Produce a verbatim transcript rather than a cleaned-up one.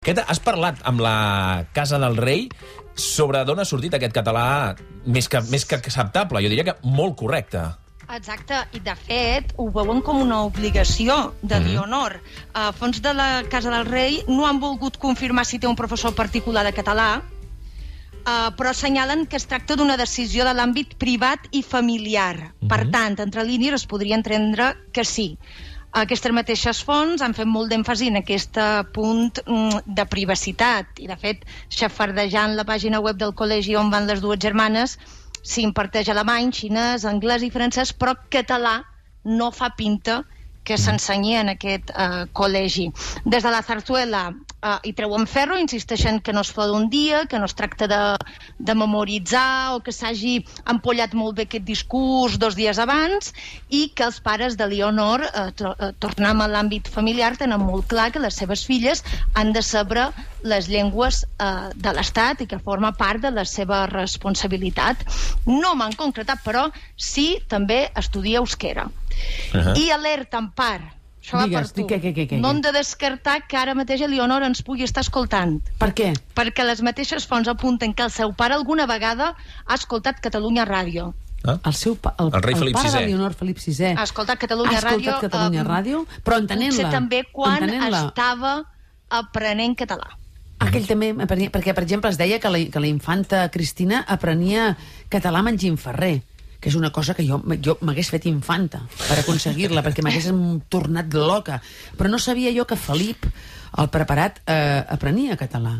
Aquest, has parlat amb la Casa del Rei sobre d'on ha sortit aquest català més que, més que acceptable, jo diria que molt correcte. Exacte, i de fet ho veuen com una obligació de Mhm. l'Honor. A fons de la Casa del Rei no han volgut confirmar si té un professor particular de català, Uh, però assenyalen que es tracta d'una decisió de l'àmbit privat i familiar. Mhm. Per tant, entre línies es podria entendre que sí. Aquestes mateixes fonts han fet molt d'èmfasi en aquest punt mm, de privacitat i, de fet, xafardejant la pàgina web del col·legi on van les dues germanes, s'imparteix alemany, xinès, anglès i francès, però català no fa pinta que s'ensenyi en aquest eh, col·legi. Des de la Zarzuela eh, hi treuen ferro, insisteixen que no es fa d'un dia, que no es tracta de, de memoritzar o que s'hagi empollat molt bé aquest discurs dos dies abans, i que els pares de Leonor, eh, to eh, tornem a l'àmbit familiar, tenen molt clar que les seves filles han de saber les llengües eh, de l'Estat i que forma part de la seva responsabilitat. No m'han concretat, però sí també estudia euskera. Uh-huh. I alerta, en part, això va Digues, per tu. què, què, què, què? No hem de descartar que ara mateix Leonor ens pugui estar escoltant. Per què? Perquè les mateixes fonts apunten que el seu pare alguna vegada ha escoltat Catalunya Ràdio. Ah? El, seu pa, el, El rei el Felip pare sisè. de Leonor, Felip sisè, Ha escoltat Catalunya ha escoltat Ràdio. Catalunya eh, Ràdio, però entenent-la. Potser també quan entenent-la. estava aprenent català. Aquell també aprenia, perquè, per exemple, es deia que la, que la infanta Cristina aprenia català menjant ferrer, que és una cosa que jo, jo m'hagués fet infanta per aconseguir-la, perquè m'hagués tornat loca. Però no sabia jo que Felip, el preparat, eh, aprenia català.